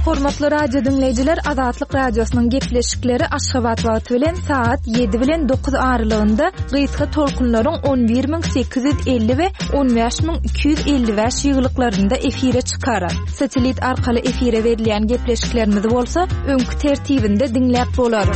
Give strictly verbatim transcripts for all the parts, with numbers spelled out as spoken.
Hormatly radio diňleýjiler, Azatlyk Radiosynyň gepleşikleri Aşgabat wagty bilen saat ýedi bilen dokuz aralygynda gysga tolkunlaryň on bir müň sekiz ýüz elli we on bäş müň iki ýüz elli bäş ýyglyklarynda efire çykar. Satelit arkaly efire berilýän gepleşiklerimizi bolsa öňki tertibinde diňläp bolar.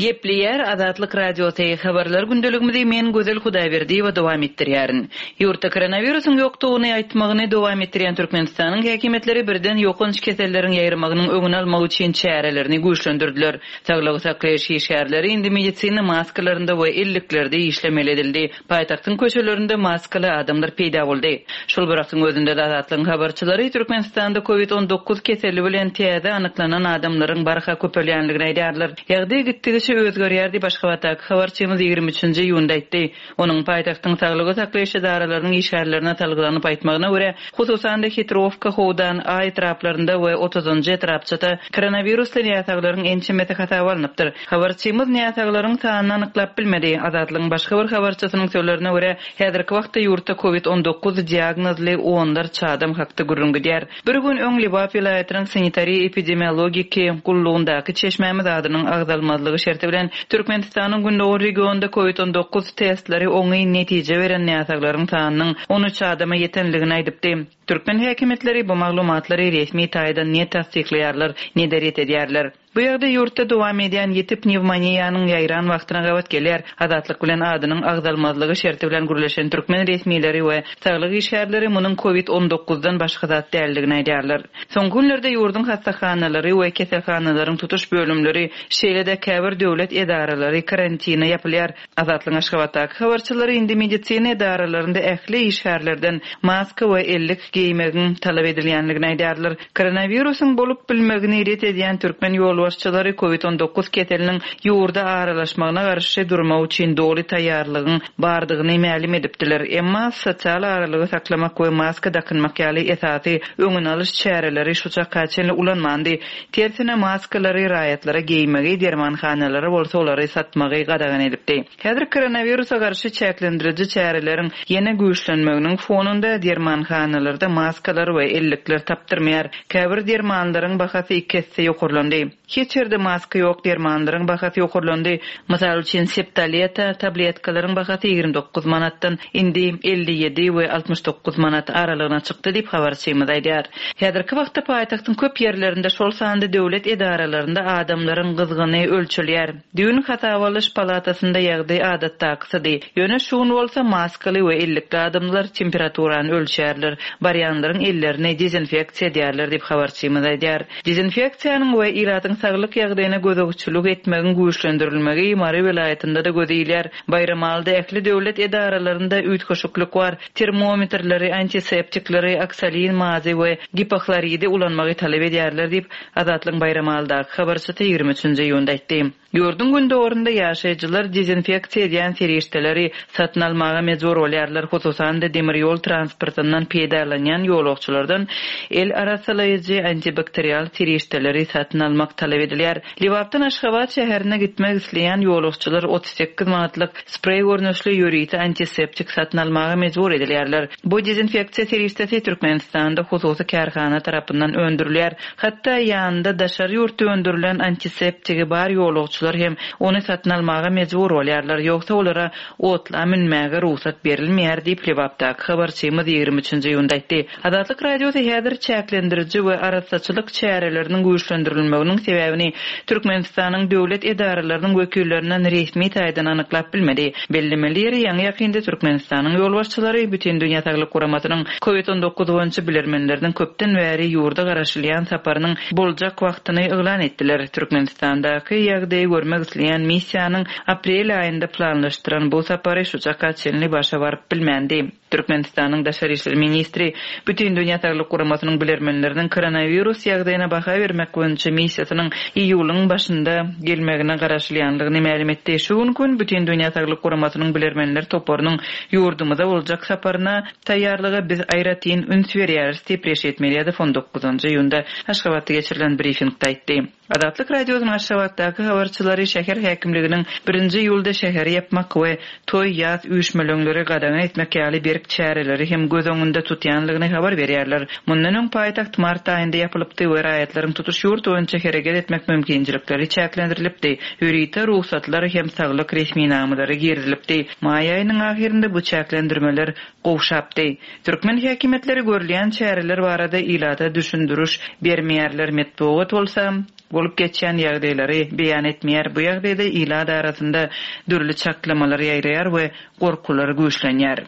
Gepleýär Azatlyk Radiosy habarlar gündeligimizi men Gözel Hudaýberdiýewa dowam etdirýärin. Ýurtda koronawirusyň ýokdugyny aýtmagyny dowam etdirýän Türkmenistanyň häkimiýetleri birden ýokanç keselleriň ýaýramagynyň öňüni almak üçin çärelerini güýçlendirdiler. Saglygy saklaýyş işgärleri indi medisina maskalarynda we elliklerde işlemeli edildi. Paýtagtyň köçelerinde maskaly adamlar peýda boldy. Şol bir wagtyň özünde Azatlygyň habarçylary Türkmenistanda COVID on dokuz keseli bilen täze anyklanan adamlaryň barha köpelýänligini aýdýarlar. Ýagdaý gitdigiçe özgerýär diýip Aşgabatdaky habarçymyz ýigrimi üçünji iýunda aýtdy. Onuň paýtagtyň saglygy saklaýyş edaralarynyň işgärlerine salgylanyp aýtmagyna görä, hususan-da Hitrowka, Howdan, A etraplarynda we otuzunjy etrapçada koronawirusly näsaglaryň ençemesi hasaba alnypdyr. Habarçymyz näsaglaryň sanyny anyklap bilmedi. Azatlygyň başga bir habarçysynyň sözlerine görä, häzirki wagtda ýurtda COVID on dokuz diagnozly onlarça adam hakda gürrüň gidýär. Bir gün öň Lebap welaýatynyň sanitariýa epidemiologiki gullugyndaky çeşmämiz adynyň agzalmazlygy şerti bilen Türkmenistanyň gündogar regionunda COVID on dokuz testleri oňyn netije beren näsaglaryň sanynyň on üç adama ýetenligini aýdypdy. Türkmen häkimiýetleri bu maglumatlary resmi taýdan ne tasdiklaýarlar, ne de ret edýärler. Bu ýagdaý ýurtda dowam edýän ýiti pnewmoniýanyň ýaýran wagtyna gabat gelýär. Azatlyk bilen adynyň agzalmazlygy şerti bilen gürleşen türkmen resmileri we saglyk işgärleri munuň COVID on dokuzdan başga zat däldigini aýdýarlar. Soňky günlerde ýurduň hastahanalary we keselhanalaryň tutuş bölümleri, şeýle-de käbir döwlet edaralary karantina ýapylýar. Azatlygyň Aşgabatdaky habarçylary indi medisina edaralarynda ähli işgärlerden maska we ellik geýmegiň talap edilýänligini aýdýarlar. Koronawirusyň bolup bilmegini ret edýän türkmen ýolbaşçylary COVID on dokuz keseliniň ýurda aralaşmagyna garşy durmak üçin doly taýýarlygyň bardygyny mälim edipdiler. Emma sosial aralygy saklamak we maska dakynmak ýaly esasy öňüni alyş çäreleri şu çaka çenli ulanmandy. Tersine maskalary raýatlara geýmegi, dermanhanalara bolsa olary satmagy gadagan edipdi. Häzir koronawirusa garşy çäklendiriji çäreleriň ýene güýçlenmeginiň fonunda dermanhanalarda maskalar we ellikler tapdyrmaýar. Käbir dermanlaryň bahasy iki esse ýokarlandy. Hiç ýerde maska ýok, dermanlaryň bahasy ýokarlandy. Mysal üçin septaleta tabletkalaryň bahasy ýigrimi dokuz manatdan indi elli ýedi we altmyş dokuz manat aralygyna çykdy diýip habarçymyz aýdýar. Häzirki wagtda paýtagtyň köp ýerlerinde, şol sanda döwlet edaralarynda adamlaryň gyzgyny ölçülýär. Düýn hasaba alyş palatasynda ýagdaý adatdakysydy. Ýöne şu gün bolsa maskaly we ellikli adamlar temperaturany ölçärler. Barýanlaryň ellerini dezinfeksiýa edýärler diýip habarçymyz aýdýar. Dezinfeksiýanyň we ilatyň saglyk ýagdaýyna gözegçilik etmegiň güýçlendirilmegi Mary welaýatynda da gözilýär. Baýramalyda ähli döwlet edaralarynda üýtgeşiklik bar. Termometrleri, antiseptikleri, oksalin mazy we gipohloridi ulanmagy talap edýärler diýip Azatlygyň Baýramalydaky habarçysy ýigrimi üçünji iýunda aýtdy. Ýurduň gündogarynda ýaşaýjylar dezinfeksiýa edýän serişdeleri satyn almaga mejbur bolýarlar. Hususan-da demir ýol transportyndan peýdalanýan ýolagçylardan el arasalaýjy antibakterial serişdeleri satyn almak talap edilýär. Lebapdan Aşgabat şäherine gitmek isleýän ýolagçylar otuz sekiz manatlyk spreý görnüşli ýörite antiseptik satyn almaga mejbur edilýärler. Bu dezinfeksiýa serişdesi Türkmenistanda hususy kärhana tarapyndan öndürilýär. Hatda ýanynda daşary ýurtda öndürilen antiseptigi bar ýolagçylar hem ony satyn almaga mejbur bolýarlar. Ýogsa olara otla münmäge rugsat berilmeýär diýip Lebapdaky habarçymyz ýigrimi üçünji iýunda aýtdy. Azatlyk Radiosy häzir çäklendiriji we arassaçylyk çäreleriniň güýçlendirilmeginiň sebäbini Türkmenistanyň döwlet edaralarynyň wekillerinden resmi taýdan anyklap bilmedi. Bellemeli ýeri ýaňy ýakynda Türkmenistanyň ýolbaşçylary Bütün Dünýä Saglyk Guramasynyň COVID on dokuz boýunça bilermenleriniň köpden bäri ýurda garaşylýan saparynyň boljak wagtyny yglan etdiler. Türkmenistandaky ýagdaýy görmek isleýän missiýanyň aprel aýynda planlaşdyran bu sapary şu çaka çenli başa baryp bilmändi. Türkmenistanyň Daşary işler ministri Bütün Dünýä Saglyk Guramasynyň bilermenleriniň koronavirus ýagdaýyna baha bermek boýunça missiýasynyň iýulyň başynda gelmegine garaşylýanlygyny mälim etdi. Şu gün gün Bütün Dünýä Saglyk Guramasynyň bilermenler toparynyň ýurdumyza boljak saparyna taýýarlyga biz aýratyn üns berýäris diýip Reşit Meredow on dokuzunjy iýunda Aşgabatda geçirilen brifingde aýtdy. Azatlyk Radiosynyň Aşgabatdaky habarçylary şäher häkimliginiň birinji iýulda şäheri ýapmak we toý ýaz üýşmeleňleri gadagan etmek ýaly berk berk çäreleri hem göz öňünde tutýanlygyny habar berýärler. Mundan öň paýtagt mart aýynda ýapylypdy we raýatlaryň tutuş ýurt boýunça hereket etmek mümkinçilikleri çäklendirilipdi. Ýörite rugsatlar hem saglyk resminamalary girizilipdi. Maý aýynyň ahyrynda bu çäklendirmeler gowşapdy. Türkmen häkimiýetleri görülýän çäreler barada ilata düşündiriş bermeýärler. Metbugat bolsa bolup geçýän ýagdaýlary beýan etmeýär. Bu ýagdaýda ilat arasynda dürli çaklamalar ýaýraýar we gorkular güýçlenýär.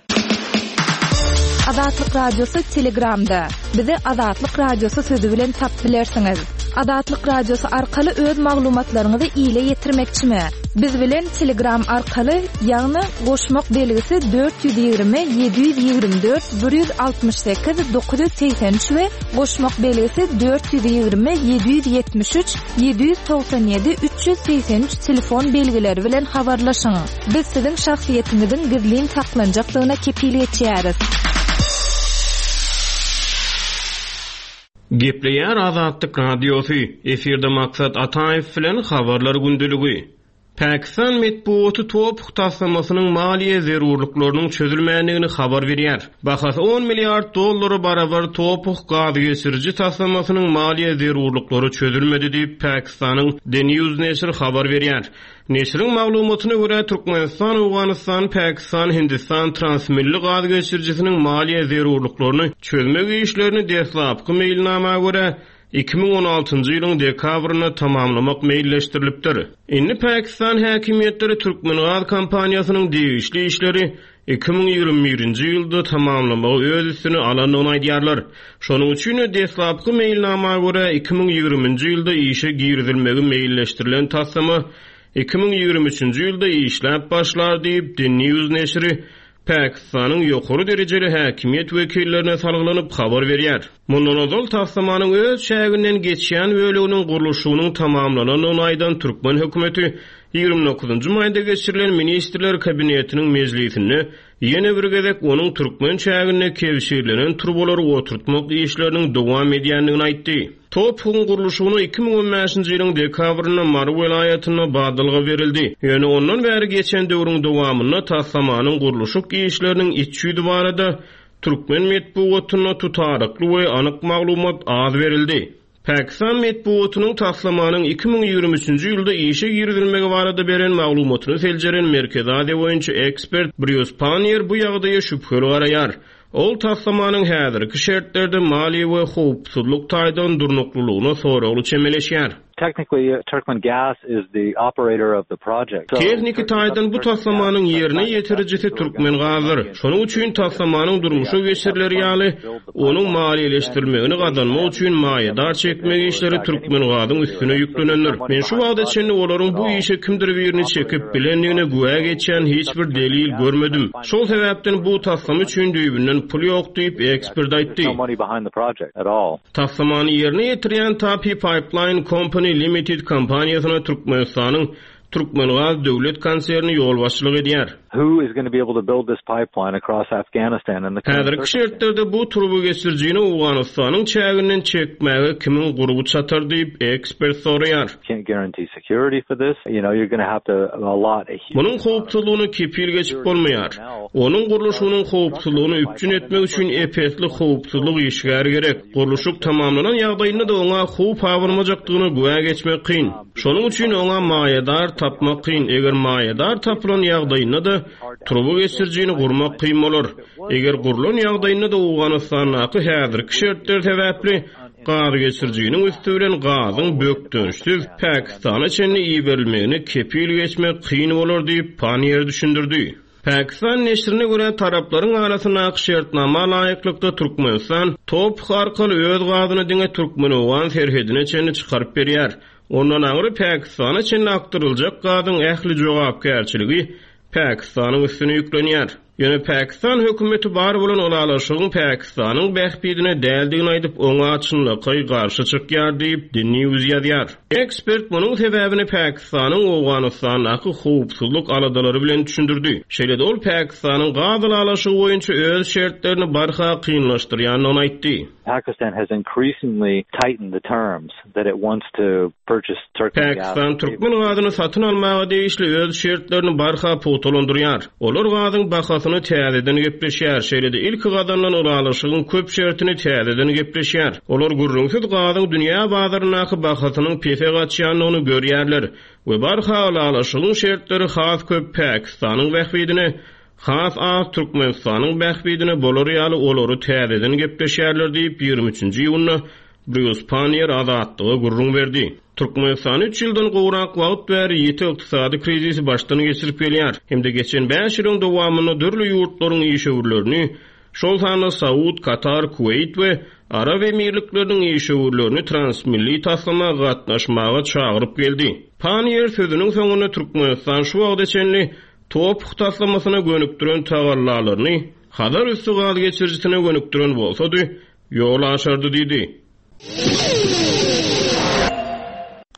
Azatlyk Radiosy Telegramda. Bizi Azatlyk Radiosy sözi bilen tapyp bilersiňiz. Azatlyk Radiosy arkaly öz maglumatlaryňyzy ile ýetirmekçimi? Biz bilen Telegram arkaly, ýagny goşmak belgisi dört ýüz ýigrimi ýedi ýüz ýigrimi dört bir ýüz altmyş sekiz dokuz ýüz segsen üç we goşmak belgisi dört ýüz ýigrimi ýedi ýüz ýetmiş üç ýedi ýüz togsan ýedi üç ýüz segsen üç telefon belgileri bilen habarlaşyň. Biz siziň şahsyýetiňiziň gizlin saklanjakdygyna kepil geçýäris. Gepleýär Azatlyk Radiosy, efirde Maksat Ataýew bilen habarlar gündeligi. Pakistan metbugaty TOPH taslamasynyň maliýe zerurlyklarynyň çözülmändigini habar berýär. Bahasy on milliard dollara barabar TOPH gaz geçiriji taslamasynyň maliýe zerurlyklary çözülmedi diýip Pakistanyň The News neşiri habar berýär. Neşiriň maglumatyna görä Türkmenistan, Owganystan, Pakistan, Hindistan transmilli gaz geçirijisiniň maliýe zerurlyklaryny çözmek işlerini deslapky meýilnama görä iki müň on altynjy ýylyň dekabrynda tamamlamak meýilleşdirilipdir. Indi Pakistan häkimiýetleri Türkmen gaz kompaniýasynyň degişli işleri iki müň ýigrimi birinji ýylda tamamlamagy öz üstüne alandygyny aýdýarlar. Şonuň üçin deslapky meýilnama görä iki müň ýigriminji ýylda işe girizilmegi meýilleşdirilen taslama iki müň ýigrimi üçünji ýylda işläp başlar diýip The News neşiri Pakistanyň ýokary derejeli häkimiýet wekillerine salgylanyp habar berýär. Mundan ozal taslamanyň öz çäginden geçýän böleginiň gurluşygynyň tamamlanandygyny aýdan türkmen hökümeti ýigrimi dokuzynjy maýda geçirilen Ministrler Kabinetiniň mejlisinde ýene bir gezek onuň türkmen çäginde kebşirlenen turbalary oturtmak işleriniň dowam edýändigini aýtdy. TOPH-yň gurluşygyna iki müň on bäşinji ýylyň dekabrynda Mary welaýatynda badalga berildi. Ýöne ondan bäri geçen döwrüň dowamynda taslamanyň gurluşyk işleriniň iç ýüzi barada türkmen metbugatynda tutarykly we anyk maglumat az berildi. Pakistan metbugatynyň taslamanyň iki müň ýigrimi üçünji ýylda işe girizilmegi barada beren maglumatyny seljeren Merkezi Aziýa boýunça ekspert Brýus Pannier bu ýagdaýa şübheli garaýar. Ol taslamanyň häzirki şertlerde maliýe we howpsuzlyk taýdan durnuklylygyna soragly çemeleşýär. Technically, Turkmen Gas is the operator of the project. So, Tehniki taýdan bu taslamanyň ýerine ýetirijisi Türkmen gazdyr. Şonuň üçin taslamanyň durmuşa geçirileri ýaly, onuň maliýeleşdirilmegini gazanmak üçin maýadar çekmek işleri Türkmen gazyň üstüne ýüklenendir. Men şu wagta çenli olaryň bu işe kimdir birini çekip bilendigine güwä geçýän hiç bir delil görmedim. Şol sebäpden bu taslama üçin düýbünden pul ýok diýip ekspert aýtdy. There's no money behind the project at all. Taslamany ýerine ýetirýän Tapi Pipeline Company Limited kompaniýasyna Türkmenistanyň Türkmengaz döwlet konserni ýolbaşçylyk edýär. Who is gonna be able to build this pipeline across Afghanistan and the current Häzirki şertlerde bu turba geçirijini Owganystanyň çäginden çekmäge kimiň gurby çatar diýip ekspert soraýar. Can't guarantee security for this. You know, you're gonna have to a lot a huge Munuň howpsuzlygyny kepil geçip bolmaýar. Onuň gurluşygynyň howpsuzlygyny üpjün etmek üçin epesli howpsuzlyk işgäri gerek. Gurluşyk tamamlanan ýagdaýynda da oňa howp abanmajakdygyna güwä geçmek kyn. Şonuň üçin oňa maýadar tapmak kyn. Eger maýadar tapylan ýagdaýynda da turba geçirijini gurmak kyn bolar. Eger gurlan ýagdaýynda da Owganystandaky häzirki şertler sebäpli gaz geçirijiniň üstü bilen gazyň bökdençsiz Pakistana çenli iberilmegine kepil geçmek kyn bolar diýip Pannier düşündirdi. Pakistan neşirine görä taraplaryň arasyndaky şertnama laýyklykda Türkmenistan TOPH arkaly öz gazyny diňe Türkmen-Owgan serhedine çenli çykaryp berýär. Ondan aňry Pakistana çenli akdyryljak gazyň ähli jogapkärçiligi Pakistanyň üstüne ýüklenýär. Ýöne Pakistan hökümeti bar bolan ylalaşygyň Pakistanyň bähbidine däldigini aýdyp, oňa çynlakaý garşy çykýar diýip The News ýazýar. Ekspert munuň sebäbini Pakistanyň Owganystandaky howpsuzlyk aladalary bilen düşündirdi. Şeýle-de ol Pakistanyň gaz ylalaşygy boýunça öz şertlerini barha kynlaşdyrýandygyny aýtdy. Pakistan has increasingly tightened the terms that it wants to purchase Turkmen gas. Pakistan Türkmen gazyny satyn almaga degişli öz şertlerini barha pugtalandyrýar. Olar gazyň bahasyny bahasyny täzeden gepleşýär. Şeýle-de ilki gazanylan ylalaşygyň köp şertini täzeden gepleşýär. Olar gürrüňsiz gazyň dünýä bazaryndaky bahasynyň pese gaçýandygyny görýärler we barha ylalaşygyň şertleri has köp Pakistanyň bähbidine, has az Türkmenistanyň bähbidine bolar ýaly olary täzeden gepleşýärler diýip ýigrimi üçünji iýunda Brýus Panniýer Azatlyga gürrüň berdi. Türkmenistan üç ýyldan gowrak wagt bäri ýiti ykdysady krizisi başdan geçirip gelýär. Hem-de geçen bäş ýylyň dowamynda dürli ýurtlaryň işewürlerini, şol sanda Saud, Katar, Kuweýt we Arap Emirlikleriniň işewürlerini transmilli taslama gatnaşmaga çagyryp geldi. Panniýer sözüniň soňunda Türkmenistan şu wagta çenli TOPH taslamasyna gönükdiren tagallalaryny Hazar üstü gaz geçirijisine gönükdiren bolsady, ýol açardy diýdi.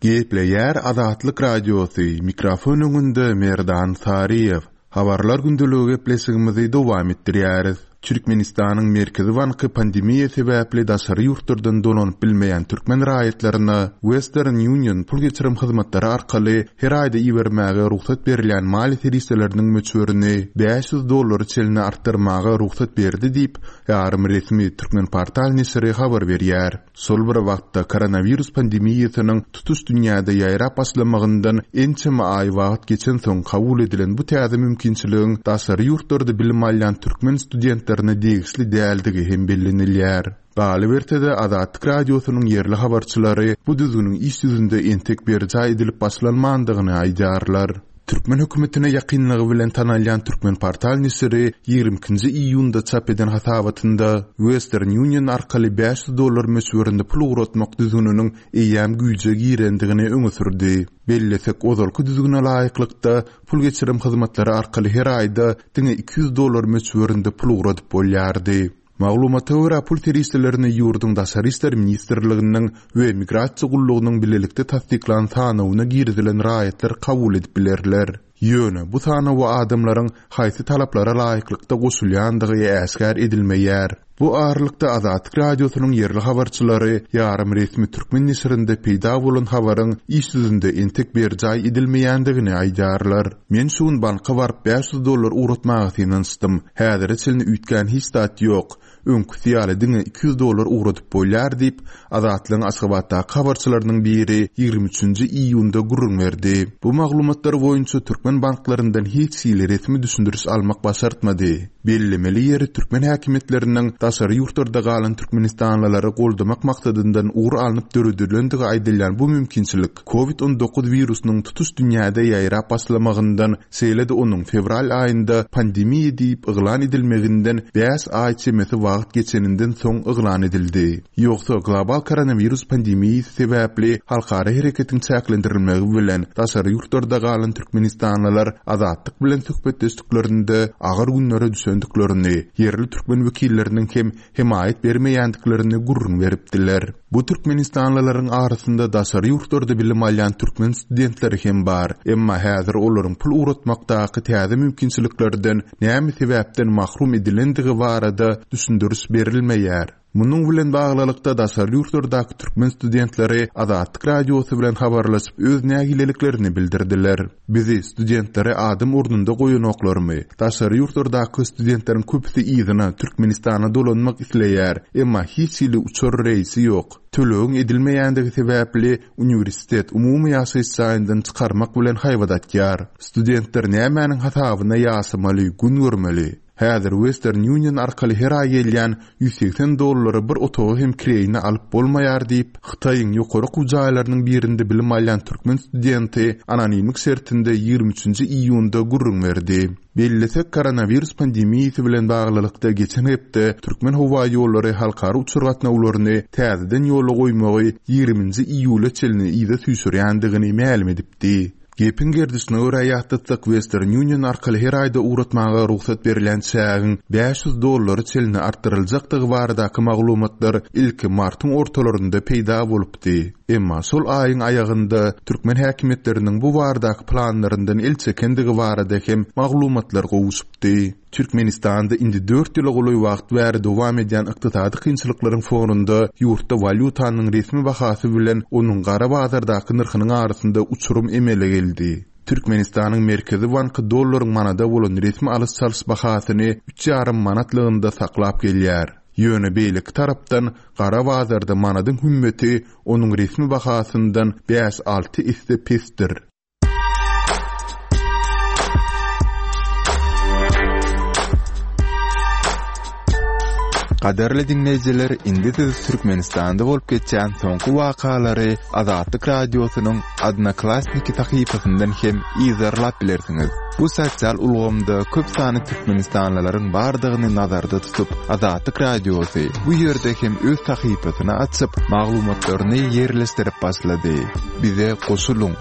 Gepleýär Azatlyk Radiosy, mikrofon öňünde Merdan Saryýew. Habarlar gündeligi gepleşigimizi dowam etdirýäris. Türkmenistanyň Merkezi Banky pandemiýa sebäpli daşary ýurtlardan dolanyp bilmeýän türkmen raýatlaryna Western Union pul geçirim hyzmatlary arkaly her aýda ibermäge rugsat berilýän maliýe serişdeleriniň möçberini bäş ýüz dollara çenli artdyrmaga rugsat berdi diýip, ýarym resmi Türkmenportal neşiri habar berýär. Şol bir wagtda koronawirus pandemiýasynyň tutuş dünýäde ýaýrap başlamagyndan ençeme aý wagt geçen soň kabul edilen bu täze mümkinçiligiň daşary ýurtlarda bilim alýan türkmen studentlerine degişli däldigi hem bellenilýär. Galyberse-de Azatlyk Radiosynyň ýerli habarçylary bu düzgüniň iş ýüzünde entek berjaý edilip başlanmandygyny aýdýarlar. Türkmen hökümetine ýakynlygy bilen tanalýan Türkmenportal neşiri ýigrimi ikinji iýunda çap eden hasabatynda Western Union arkaly bäş ýüz dollar möçberinde pul ugratmak düzgüniniň eýýäm güýje girendigini öňe sürdi. Bellesek, ozalky düzgüne laýyklykda pul geçirim hyzmatlary arkaly her aýda diňe iki ýüz dollar möçberinde pul ugradyp bolýardy. Maglumata görä pul serişdelerini ýurduň Daşary işler ministrliginiň we migrasiýa gullugynyň bilelikde tassyklan sanawyna girizilen raýatlar kabul edip bilerler. Ýöne bu sanawa adamlaryň haýsy talaplara laýyklykda goşulýandygy äşgär edilmeýär. Bu aralykda Azatlyk Radiosynyň ýerli habarçylary ýarym resmi türkmen neşirinde peýda bolan habaryň iş ýüzünde entek berjaý edilmeýändigini aýdýarlar. Men şu gün banka baryp bäş ýüz dollar ugratmaga synanyşdym. Häzire çenli üýtgän hiç zat ýok. Öňküsi ýaly diňe iki ýüz dollar ugradyp bolýar diýip, Azatlygyň Aşgabatdaky habarçylarynyň biri ýigrimi üçünji iýunda gürrüň berdi. Bu maglumatlar boýunça türkmen banklaryndan hiç hili resmi düşündiriş almak başartmady. Bellemeli ýeri türkmen häkimiýetleriniň daşary ýurtlarda galan türkmenistanlylary goldamak maksadyndan ugur alnyp döredilendigi aýdylýan bu mümkinçilik kovid on dokuz wirusynyň tutuş dünýäde ýaýrap başlamagyndan, şeýle-de onuň fewral aýynda pandemiýa diýip yglan edilmeginden bäş aý çemesi wagt geçeninden soň yglan edildi. Ýogsa global koronawirus pandemiýasy sebäpli halkara hereketiň çäklendirilmegi bilen daşary ýurtlarda galan türkmenistanlylar Azatlyk bilen söhbetdeşliklerinde agyr günlere düşendiklerini, ýerli türkmen wekilleriniň hem hemaýat bermeýändiklerini gürrüň beripdiler. Bu türkmenistanlylaryň arasynda daşary ýurtlarda bilim alýan türkmen studentleri hem bar. Emma häzir olaryň pul ugratmakdaky täze mümkinçiliklerden näme sebäpden mahrum edilendigi barada düşündiriş berilmeýär. Munuň bilen baglylykda daşary ýurtlardaky türkmen studentleri Azatlyk Radiosy bilen habarlaşyp öz nägileliklerini bildirdiler. Bizi studentleri adam ornunda goýanoklarmy? Daşary ýurtlardaky studentleriň köpüsi yzyna Türkmenistana dolanmak isleýär, emma hiç hili uçar reýsi ýok. Tölegiň edilmeýändigi sebäpli uniwersitet umumy ýaşaýyş jaýyndan çykarmak bilen haýbat atýar. Studentler nämäniň hasabyna ýaşamaly, gün görmeli? Häzir Western Union arkaly her aý gelýän ýüz segsen dollara bir otagy hem kireýine alyp bolmaýar diýip, Hytaýyň ýokary okuw jaýlarynyň birinde bilim alýan türkmen studenti anonimlik şertinde ýigrimi üçünji iýunda gürrüň berdi. Bellesek, koronawirus pandemiýasy bilen baglylykda geçen hepde Türkmen howa ýollary halkara uçar gatnawlaryny täzeden ýola goýmagy ýigriminji iýula çenli yza süýşürýändigini mälim edipdi. Gepiň gerdişine görä ýatlatsak, Western Union arkaly her aýda ugratmaga rugsat berilýän çägiň bäş ýüz dollara çenli artdyryljakdygy baradaky maglumatlar ilki martyň ortalarynda peýda bolupdy. Emma şol aýyň aýagynda türkmen häkimiýetleriniň bu baradaky planlaryndan el çekendigi barada hem maglumatlar gowuşypdy. Türkmenistanda indi dört ýyla golaý wagt bäri dowam edýän ykdysady kynçylyklaryň fonunda ýurtda walýutanyň resmi bahasy bilen onuň gara bazardaky nyrhynyň arasynda uçurum emele geldi. Türkmenistanyň Merkezi Banky dollaryň manada bolan resmi alyş-çalyş bahasyny üç ýarym manatlygynda saklap gelýär. Ýöne beýleki tarapdan gara bazarda manadyň hümmeti onuň resmi bahasyndan bäş-alty esse pesdir. Gadyrly diňleýjiler, indi siz Türkmenistanda bolup geçýän soňky wakalary Azatlyk Radiosynyň Odnoklassniki sahypasyndan hem yzarlap bilersiňiz. Bu sosial ulgamda köp sanly türkmenistanlylaryň bardygyny nazarda tutup, Azatlyk Radiosy bu ýerde hem öz sahypasyny açyp, maglumatlaryny ýerleşdirip başlady. Bize goşulyň!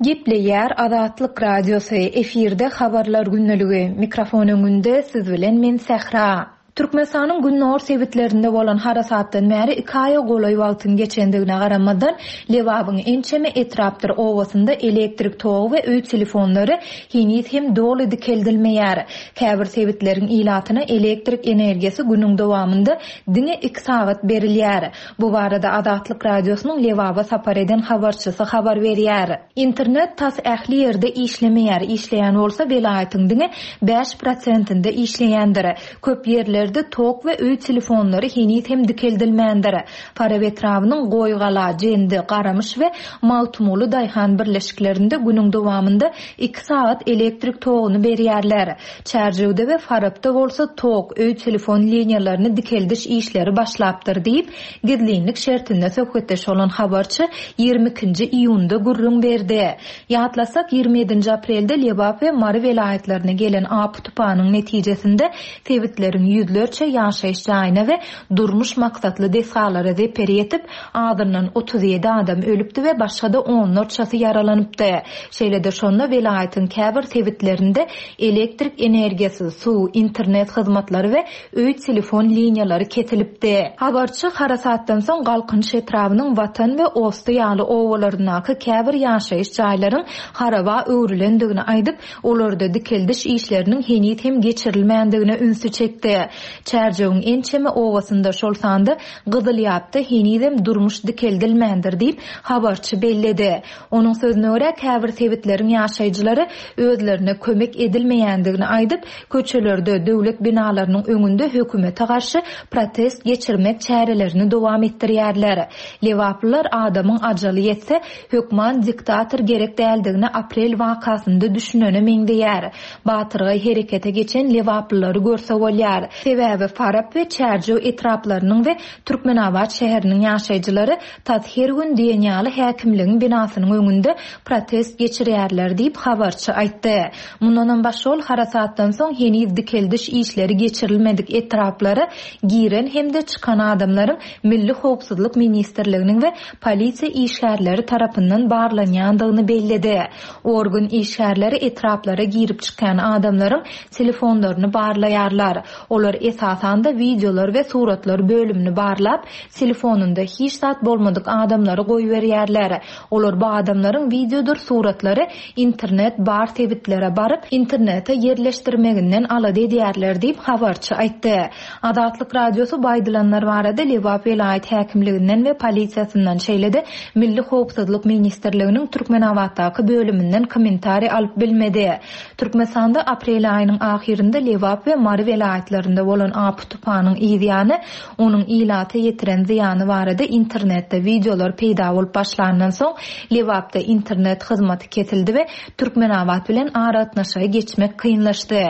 Gepleýär Azatlyk Radiosy, efirde habarlar gündeligi. Mikrofon öňünde siz bilen men Sähra. Türkmenistanyň gündogar sebitlerinde bolan harasatdan bäri iki aýa golaý wagtyň geçendigine garamazdan, Lebabyň ençeme etrapdyr obasynda elektrik togy we öý telefonlary heniz hem doly dikeldilmeýär. Käbir sebitleriň ilatyna elektrik energiýasy günüň dowamynda diňe iki sagat berilýär. Bu barada Azatlyk Radiosynyň Lebaba sapar eden habarçysy habar berýär. Internet tas ähli ýerde işlemeýär. Işleýän bolsa welaýatyň diňe bäş prosentinde işleýändir. Köp ýerlerde tok we öý telefonlary heniz hem dikeldilmändir. Farap etrabynyň Goýgala, Jendi, Garamyş we Magtymguly daýhan birleşiklerinde günüň dowamynda iki sagat elektrik toguny berýärler. Çärjewde we Farapda bolsa tok, öý telefon liniýalaryny dikeldiş işleri başlapdyr diýip, gizlinlik şertinde söhbetdeş bolan habarçy ýigrimi ikinji iýunda gürrüň berdi. Ýatlasak, ýigrimi ýedinji aprelde Lebap we Mary welaýatlaryna gelen apy tupanyň netijesinde sebitleriň ýüzlerçe ýaşaýyş jaýyna we durmuş maksatly desgalara zeper ýetip, azyndan otuz ýedi adam ölüpdi we başga-da onlarçasy ýaralanypdy. Şeýle-de şonda welaýatyň käbir sebitlerinde elektrik energiýasy, suw, internet hyzmatlary we öý telefon liniýalary kesilipdi. Habarçy harasatdan soň Galkynyş etrabynyň Watan we Osty ýaly obalaryndaky käbir ýaşaýyş jaýlaryň haraba öwrülendigini aýdyp, olarda dikeldiş işleriniň heniz hem geçirilmändigine ünsi çekdi. Çärjewiň ençeme obasynda, şol sanda Gyzylýapda henizem durmuş dikeldilmändir diýip, habarçy belledi. Onuň sözüne görä, käbir sebitleriň ýaşaýjylary özlerine kömek edilmeýändigini aýdyp, köçelerde, döwlet binalarynyň öňünde hökümete garşy protest geçirmek çärelerini dowam etdirýärler. Lebaplylar adamyň ajaly ýetse, hökman diktator gerek däldigini aprel wakasynda düşünene meňzeýär. Batyrgaý herekete geçen lebaplylary görse bolýar. Sebäbi Farap we Çärjew etraplarynyň we Türkmenabat şäheriniň ýaşaýjylary tas her gün diýen ýaly häkimligiň binasynyň öňünde protest geçirýärler diýip habarçy aýtdy. Mundanam başga ol harasatdan soň heniz dikeldiş işleri geçirilmedik etraplara giren hem-de çykan adamlaryň Milli Howpsuzlyk Ministrliginiň we polisiýa işgärleri tarapyndan barlanýandygyny belledi. Organ işgärleri etraplara girip çykýan adamlaryň telefonlaryny barlaýarlar. Olar esasanda wideolar we suratlar bölümini barlap, telefonunda hiç zat bolmadyk adamlary goýberýärler. Olar bu adamlaryň wideodyr suratlary internet bar sebitlere baryp, internete ýerleşdirmeginden alada edýärler diýip habarçy aýtdy. Azatlyk Radiosy bu aýdylanlar barada Lebap welaýat häkimliginden we polisiýasyndan, şeýle-de Milli Howpsuzlyk Ministrliginiň Türkmenabatdaky bölüminden kommentariý alyp bilmedi. Türkmenistanda aprel aýynyň ahyrynda Lebap we Mary welaýatlarynda bolan apy tupanyň yzýany, onuň ilata ýetiren zyýany barada internetde wideolar peýda bolup başlandan soň, Lebapda internet hyzmaty kesildi we Türkmenabat bilen aragatnaşyga geçmek kynlaşdy.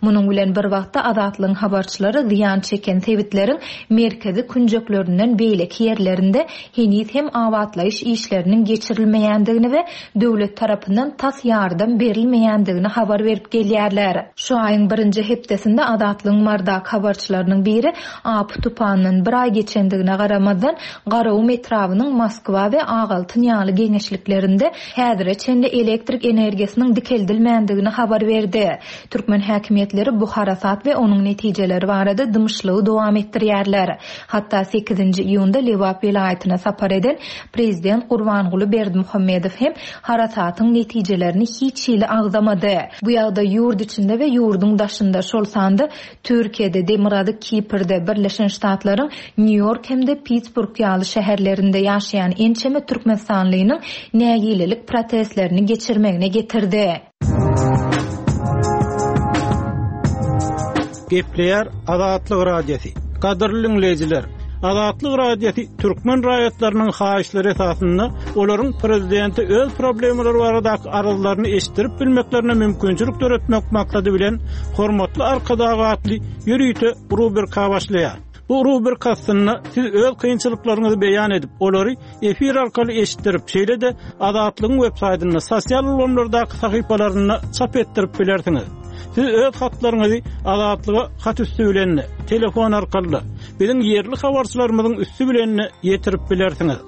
Munuň bilen bir wagtda Azatlygyň habarçylary zyýan çeken sebitleriň merkezi künjeklerinden beýleki ýerlerinde heniz hem abatlaýyş işleriniň geçirilmeýändigini we döwlet tarapyndan tas ýardam berilmeýändigini habar berip gelýärler. Şu aýyň birinji hepdesinde Azatlygyň Mardak habarçylarynyň biri apy tupandan bir aý geçendigine garamazdan Garagum etrabynyň Moskwa we Agaltyn ýaly geňeşliklerinde häzire çenli elektrik energiýasynyň dikeldilmändigini habar berdi. Türkmen häkimiýetleri bu harasat we onuň netijeleri barada dymyşlygy dowam etdirýärler. Hatda sekizinji iýunda Lebap welaýatyna sapar eden Prezident Gurbanguly Berdimuhamedow hem harasatyň netijelerini hiç hili agzamady. Bu ýagdaý ýurt içinde we ýurduň daşynda, şol sanda Türkiýede, Türkiýede, Demirgazyk Kiprde, Birleşen Ştatlaryň Nýu-Ýork hem-de Pittsburg ýaly şäherlerinde ýaşaýan ençeme türkmenistanlynyň nägilelik protestlerini geçirmegine getirdi. Gepleýär Azatlyk Radiosy. Gadyrly dinleýjiler, Azatlyk Radiosy türkmen raýatlarynyň haýyşlary esasynda olaryň prezidenti öz problemalary baradaky arzlaryny eşitdirip bilmeklerine mümkinçilik döretmek maksady bilen hormatly Arkadag atly ýörite rubrika başlaýar. Bu rubrika astynda siz öz kynçylyklaryňyzy beýan edip, olary efir arkaly eşitdirip, şeýle-de Azatlygyň web saýtynda, sosial ulgamlardaky sahypalarynda çap etdirip bilersiňiz. Siz öz hatlaryňyzy Azatlyga hat üstü bilen, telefon arkaly, biziň ýerli habarçylarymyzyň üstü bilen ýetirip bilersiňiz.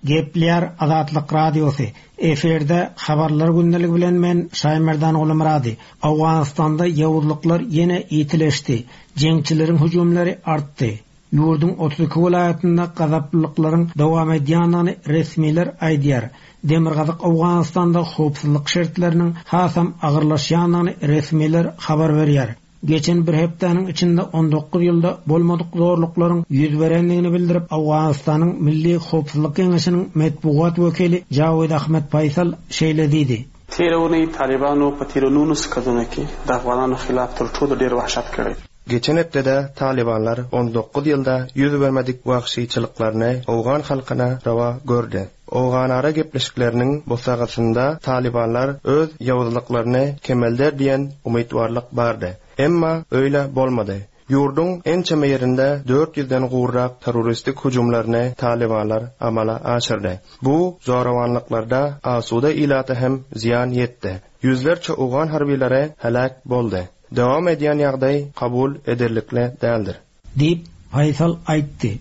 Gepleýär Azatlyk Radiosy. Efirde habarlar gündeligi bilen men Şaýmerdan Gulmyrady. Owganystanda ýowuzlyklar ýene ýitileşdi. Jeňçileriň hüjümleri artdy. Ýurduň otuz iki welaýatynda gazaplylyklaryň dowam edýändigini resmiler aýdýar. Demirgazyk Owganystanda howpsuzlyk şertleriniň hasam agyrlaşýandygyny resmiler habar berýär. Geçen bir hepdäniň içinde on dokuz ýylda bolmadyk zorluklaryň ýüz berendigini bildirip, Owganystanyň Milli Howpsuzlyk Geňeşiniň metbugat wekili Jawid Ahmed Faysal şeýle diýdi. تیره اونۍ طالبانو په تیرو نولس کلونو کې د افغانانو خلاف تر ټولو ډیر وحشت کړی. Geçen hepdede Talibanlar on dokuz ýylda ýüz bermedik wahşyçylyklaryny Owgan halkyna rawa gördi. Owganara gepleşikleriniň bosagasynda Talibanlar öz ýowuzlyklaryny kemelder diýen umytwarlyk bardy. Emma öýle bolmady. Ýurduň ençeme ýerinde dört ýüzden gowrak terroristik hüjümlerini Talibanlar amala aşyrdy. Bu zorawanlyklarda asuda ilata hem ziýan ýetdi. Ýüzlerçe Owgan harbiylary helak boldy. Dowam edýän ýagdaý kabul ederlikli däldir. Diýip Faysal aýtdy.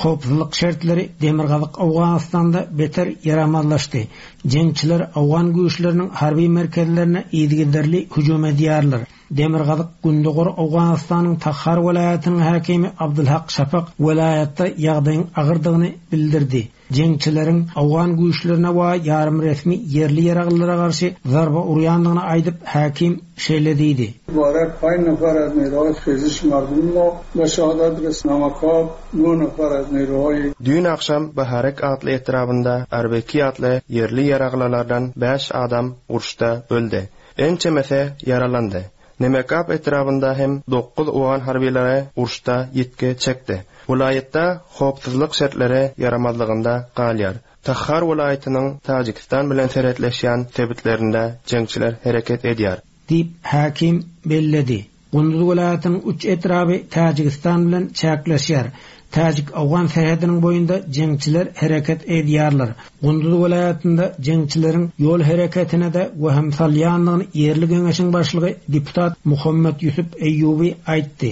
Howpsuzlyk şertleri Demirgazyk Owganystanda beter ýaramazlaşdy. Jeňçiler Owgan güýçleriniň harby merkezlerine yzygiderli hüjüm edýärler. Demirgazyk Gündogar Owganystanyň Takhar welaýatynyň häkimi Abdulhak Şafak welaýatda ýagdaýyň agyrdygyny bildirdi. Jeňçileriň Owgan güýçlerine we ýarym resmi ýerli ýaraglylara garşy zarba urýandygyny aýdyp häkim şeýle diýdi. Mubarak پنج نفر از نیروهای خیزش مردم ما به شهادت رسید. نمکاب نه نفر از نیروهای Düýn akşam Baharek atly etrabynda Arbeki atly ýerli ýaraglylardan bäş adam uruşda öldi. Ençemesi ýaralandy. Nemekap etrabynda hem dokuz Owgan harbiylary uruşda ýitgi çekdi. Welaýatda howpsuzlyk şertleri ýaramazlygynda galýar. Takhar welaýatynyň Tajikistan bilen serhetleşýän sebitlerinde jeňçiler hereket edýär. Diýip häkim belledi. Gunduz welaýatynyň üç etraby Tajikistan bilen çäkleşýär. Tajik Owgan serhediniň boýunda jeňçiler hereket edýärler. Gunduz welaýatynda jeňçileriň ýol hereketine de wehim salýandygyny ýerli geňeşiň başlygy deputat Muhammed Ýusuf Eýýubi aýtdy.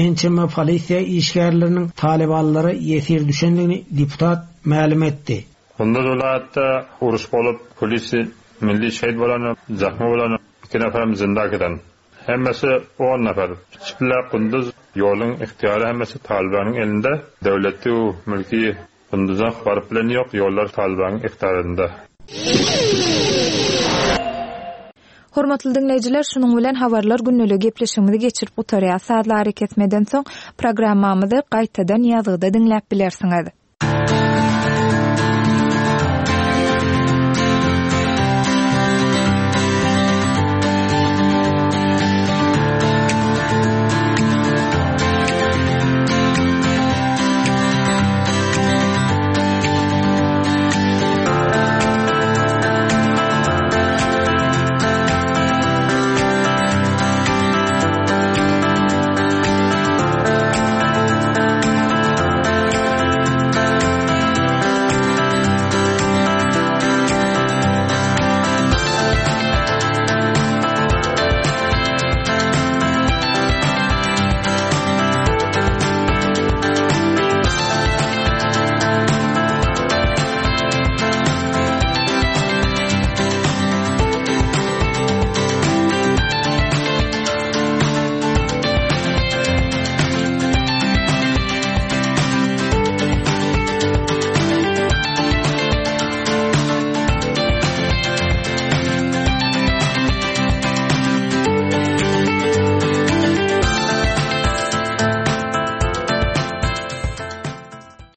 Ençeme polisiýa işgärleriniň talibanlara ýesir düşendigini deputat mälim etdi. Gunduz welaýatda uruş bolup, polisi milli şehit bolan, zahma bolan iki nefer zinda giden. Hemmesi on nefer. Çipler Gunduz ýoluň ihtiyarı hemmesi Talibanyň elinde. Döwleti mülki Gunduzdan baryp bilen ýok, ýollar Talibanyň ihtiyarynda. Hormatly dinleýjiler, şunuň bilen habarlar günlügi gepleşigimizi geçirip gutarýar. Sazlary kesmeden soň programmamyzy gaýtadan ýazgyda diňläp bilersiňiz.